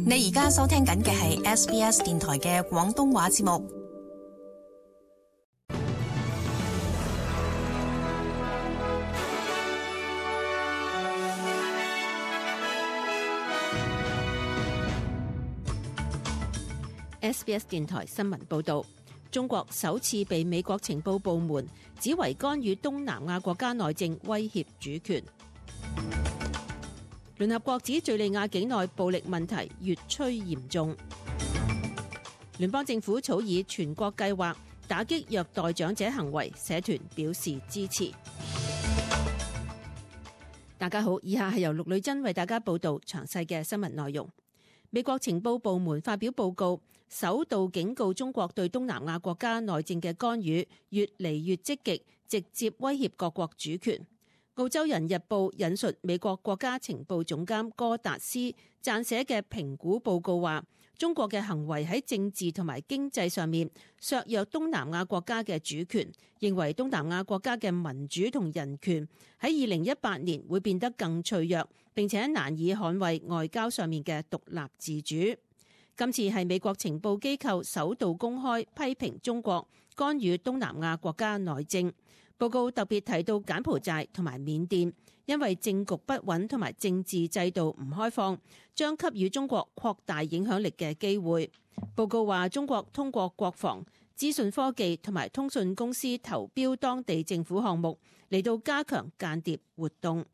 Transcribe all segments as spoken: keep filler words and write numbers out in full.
你而家收聽緊嘅係 S B S 電台嘅廣東話節目。S B S 電台新聞報道，中國首次被美國情報部門指為干預東南亞國家內政，威脅主權。聯合國指敘利亞境內暴力問題越趨嚴重。聯邦政府草擬全國計劃打擊虐待長者行為，社團表示支持。大家好，以下係由陸女珍為大家報道詳細嘅新聞內容。美國情報部門發表報告，首度警告中國對東南亞國家內政嘅干預越嚟越積極，直接威脅各國主權。澳洲人日報引述美國國家情報總監戈達斯撰寫嘅評估報告話，中國嘅行為喺政治同埋經濟上面削弱東南亞國家嘅主權，認為東南亞國家嘅民主同人權喺二零一八年會變得更脆弱，並且難以捍衛外交上面嘅獨立自主。今次係美國情報機構首度公開批評中國干預東南亞國家內政。報告特別提到柬埔寨同埋緬甸，因為政局不穩同埋政治制度唔開放，將給予中國擴大影響力嘅機會。報告話，中國通過國防、資訊科技同埋通訊公司投標當地政府項目，嚟到加強間諜活動。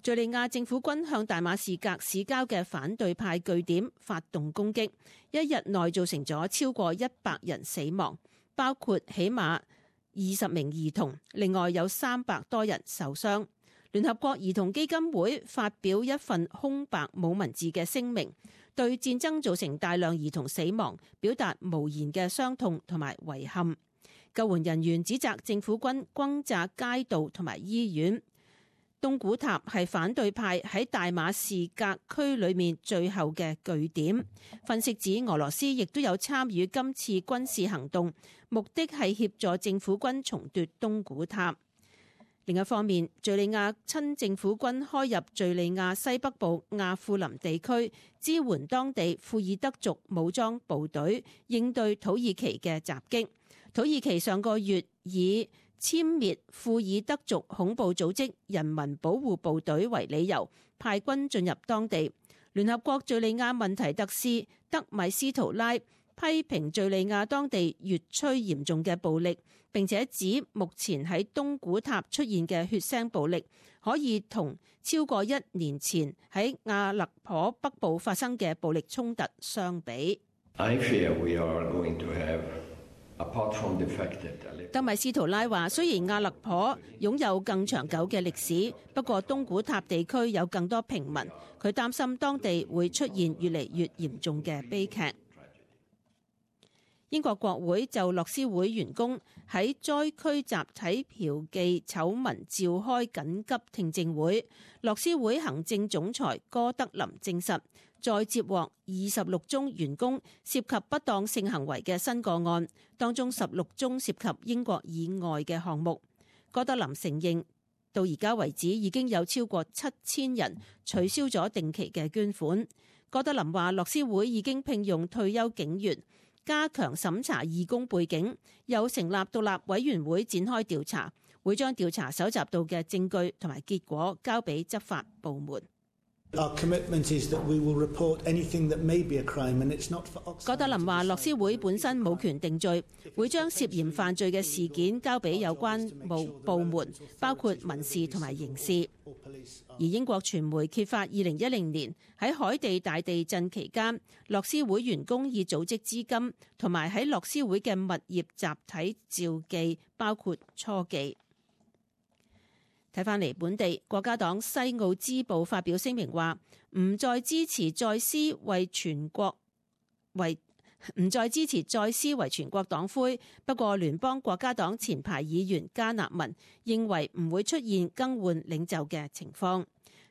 敘利亞政府軍向大馬士革市郊嘅反對派據點發動攻擊，一日內造成咗超過一百人死亡，包括起碼二十名兒童，另外有三百多人受傷。聯合國兒童基金會發表一份空白冇文字嘅聲明，對戰爭造成大量兒童死亡表達無言嘅傷痛同埋遺憾。救援人員指責政府軍轟炸街道同埋醫院。東古塔係反對派喺大馬士革區裏面最後嘅據點。分析指俄羅斯亦都有參與今次軍事行動，目的係協助政府軍重奪東古塔。另一方面，敘利亞親政府軍開入敘利亞西北部亞庫林地區，支援當地庫爾德族武裝部隊應對土耳其嘅襲擊。土耳其上個月以殲滅庫爾德族恐怖組織人民保護部隊為理由，派軍進入當地。聯合國敘利亞問題特使德米斯圖拉批評敘利亞當地越趨嚴重嘅暴力，並且指目前喺東古塔出現嘅血腥暴力可以同超過一年前喺阿勒頗北部發生嘅暴力衝突相比。I fear we are going to have德米斯圖拉話，雖然阿勒頗擁有更長久嘅歷史，不過東古塔地區有更多平民，佢擔心當地會出現越嚟越嚴重嘅悲劇。英國國會就樂施會員工喺災區集體嫖妓醜聞召開緊急聽證會。樂施會行政總裁戈德林證實，再接獲二十六宗員工涉及不當性行為嘅新個案，當中十六宗涉及英國以外嘅項目。戈德林承認，到而家為止已經有超過七千人取消咗定期嘅捐款。戈德林話，樂施會已經聘用退休警員，加強審查義工背景，又成立獨立委員會展開調查，會將調查搜集到嘅證據同埋結果交俾執法部門。Our commitment is that we will report anything that may be a crime, and it's not for Oxfam. 戈德林話，樂施會本身冇權定罪，會將涉嫌犯罪嘅事件交俾有關部部門，包括民事同埋刑事。而英國傳媒揭發，二零一零年喺海地大地震期間，樂施會員工以組織資金同埋喺樂施會嘅物業集體召妓，包括初妓。睇返嚟本地，國家黨西澳支部發表聲明話，唔再支持再思為全國為唔再支持再思為全國黨魁。不過，聯邦國家黨前排議員加納文認為唔會出現更換領袖嘅情況。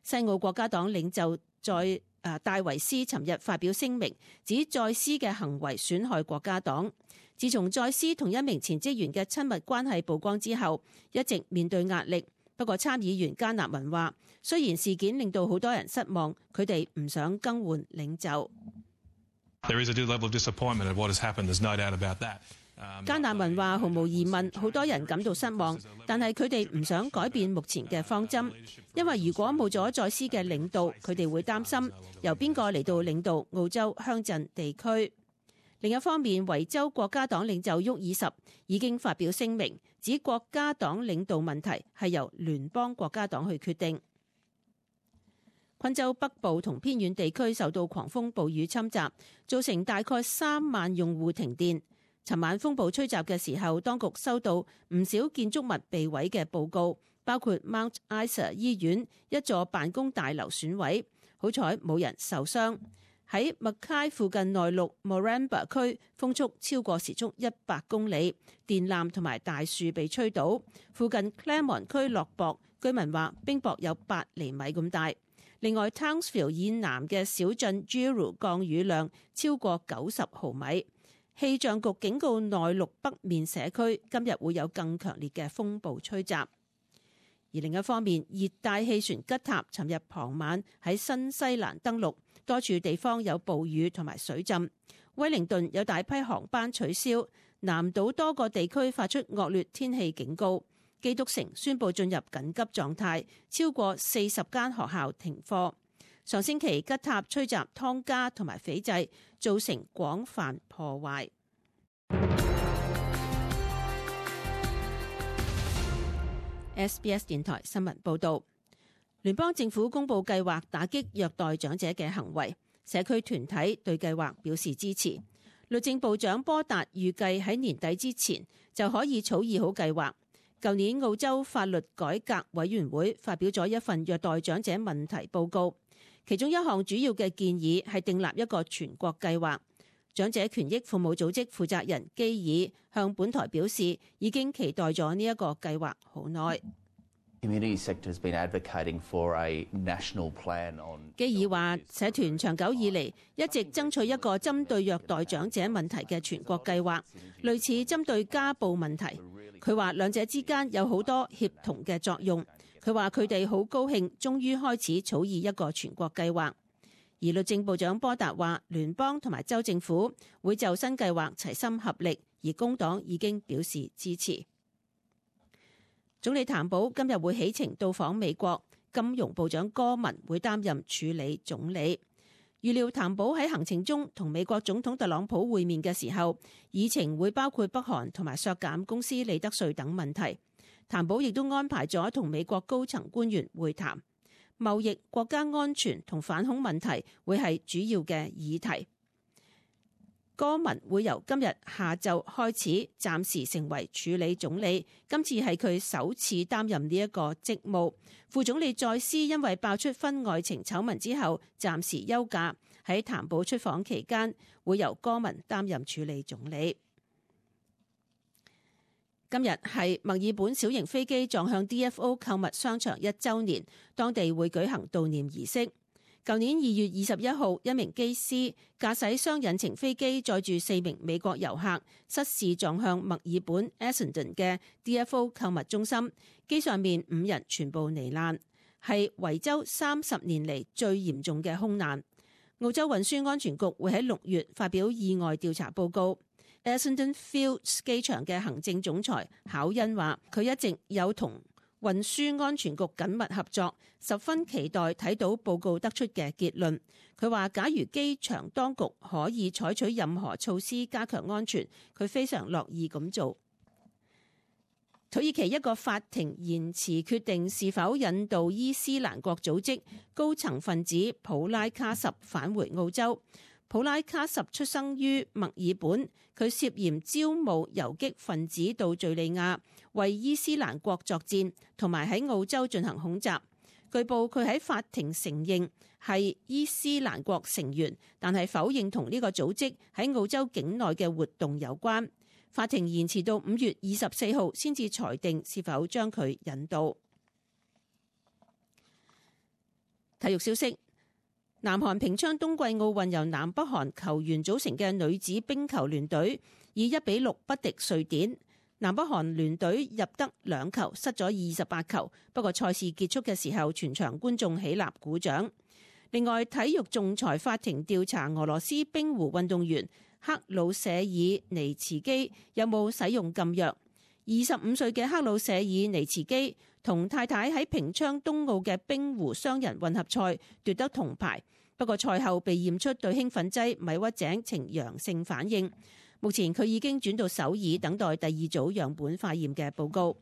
西澳國家黨領袖在誒戴維斯尋日發表聲明，指再思嘅行為損害國家黨。自從再思同一名前職員嘅親密關係曝光之後，一直面對壓力。不過參議員加納文話，雖然事件令到好多人失望，佢哋唔想更換領袖。There is a level of disappointment at what has happened. There's no doubt about that. 加納文話：毫無疑問，好多人感到失望，但係佢哋唔想改變目前嘅方針，因為如果冇咗在斯嘅領導，佢哋會擔心由邊個嚟到領導澳洲鄉鎮地區。另一方面，維州國家黨領袖沃爾什已經發表聲明，指國家黨領導問題係由聯邦國家黨去決定。昆州北部同偏遠地區受到狂風暴雨侵襲，造成大概三萬用戶停電。尋晚風暴吹襲嘅時候，當局收到唔少建築物被毀嘅報告，包括 Mount Isa 醫院一座辦公大樓損毀，好彩冇人受傷。喺 Mackay 附近內陸 Moranbah 區，風速超過時速一百公里，電纜同埋大樹被吹倒。附近 Claremont 區落雹，居民話冰雹有八厘米咁大。另外 Townsville 以南嘅小鎮 Giru 降雨量超過九十毫米。氣象局警告內陸北面社區今日會有更強烈嘅風暴吹襲。而另一方面，熱帶氣旋吉塔尋日傍晚喺新西蘭登陸，多處地方有暴雨同埋水浸。威靈頓有大批航班取消，南島多個地區發出惡劣天氣警告。基督城宣布進入緊急狀態，超過四十間學校停課。上星期吉塔吹襲湯加同埋斐濟，造成廣泛破壞。S B S 電台新聞報導，聯邦政府公布計劃打擊虐待長者嘅行為，社區團體對計劃表示支持。律政部長波達預計喺年底之前就可以草擬好計劃。舊年澳洲法律改革委員會發表咗一份虐待長者問題報告。其中一項主要嘅建議係訂立一個全國計劃。長者權益服務組織負責人基爾向本台表示，已經期待咗呢一個計劃好耐。基爾話，社團長久以嚟一直爭取一個針對虐待長者問題嘅全國計劃，類似針對家暴問題。佢話兩者之間有好多協同嘅作用。佢話佢哋好高興，終於開始草擬一個全國計劃。而律政部長波達話，聯邦同埋州政府會就新計劃齊心合力，而工黨已經表示支持。總理譚寶今日會起程到訪美國，金融部長戈文會擔任處理總理。預料譚寶喺行程中同美國總統特朗普會面嘅時候，議程會包括北韓同埋削減公司利得稅等問題。譚寶亦都安排咗同美國高層官員會談，貿易、國家安全同反恐問題會係主要嘅議題。戈文會由今日下晝開始暫時成為處理總理，今次係佢首次擔任呢一個職務。副總理再斯因為爆出婚外情醜聞之後暫時休假，喺譚寶出訪期間會由戈文擔任處理總理。今日係墨爾本小型飛機撞向 D F O 購物商場一週年，當地會舉行悼念儀式。舊年二月二十一號，一名機師駕駛雙引擎飛機載住四名美國遊客，失事撞向墨爾本 Essendon 嘅 D F O 購物中心，機上面五人全部罹難，係維州三十年嚟最嚴重嘅空難。澳洲運輸安全局會喺六月發表意外調查報告。Essendon Fields 機場嘅行政總裁考恩話，佢一直有同運輸安全局緊密合作，十分期待睇到報告得出嘅結論。佢話，假如機場當局可以採取任何措施加強安全，佢非常樂意咁做。土耳其一個法庭延遲決定是否引渡伊斯蘭國組織高層分子普拉卡什返回澳洲。普拉卡什出生於墨爾本，佢涉嫌招募游擊分子到敘利亞為伊斯蘭國作戰，同埋喺澳洲進行恐襲。據報佢喺法庭承認係伊斯蘭國成員，但係否認同呢個組織喺澳洲境內嘅活動有關。法庭延遲到五月二十四號先至裁定是否將佢引渡。體育消息。南韓平昌冬季奧運由南北韓球員組成嘅女子冰球聯隊以一比六不敵瑞典。南北韓聯隊入得兩球，失咗二十八球。不過賽事結束嘅時候，全場觀眾起立鼓掌。另外，體育仲裁法庭調查俄羅斯冰壺運動員克魯舍爾尼茨基有冇使用禁藥。二十五歲嘅克魯舍爾尼茨基同太太喺平昌冬奧嘅冰壺雙人混合賽奪得銅牌，不過賽後被驗出對興奮劑米屈井呈陽性反應。目前佢已經轉到首爾等待第二組樣本化驗嘅報告。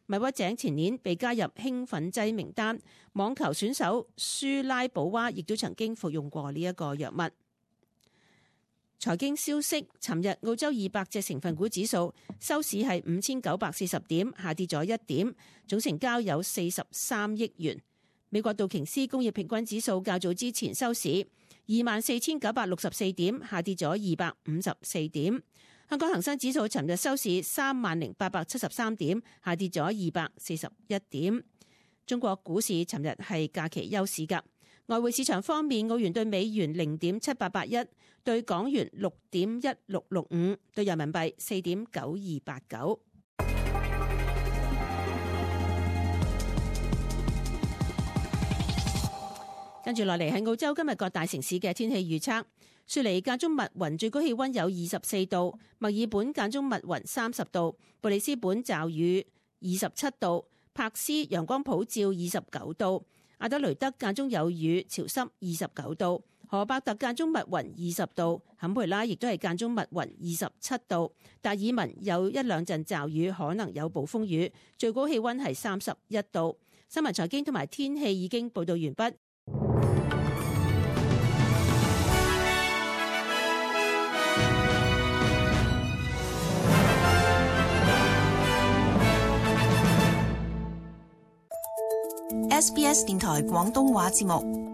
米屈井前年被加入興奮劑名單，網球選手舒拉保娃亦都曾經服用過呢一個藥物。財經消息，尋日澳洲二百隻成分股指數收市係五千九百四十點，下跌咗一點，總成交有四十三億元。美國道瓊斯工業平均指數較早之前收市二萬四千九百六十四點，下跌咗二百五十四點。香港恒生指數尋日收市三萬零八百七十三點，下跌咗二百四十一點。中國股市尋日係假期休市㗎。外匯市場方面，澳元對美元零點七八八一，對港元六點一六六五，對人民幣四點九二八九。跟住落嚟係澳洲今日各大城市嘅天氣預測。雪梨間中密雲，最高氣溫有二十四度；墨爾本間中密雲三十度；布里斯本驟雨二十七度；柏斯陽光普照二十九度；阿德雷德間中有雨，潮濕二十九度；荷伯特間中密雲二十度；坎培拉亦都係間中密雲二十七度；達爾文有一兩陣驟雨，可能有暴風雨，最高氣溫係三十一度。新聞財經同埋天氣已經報道完畢。S B S 電台廣東話節目。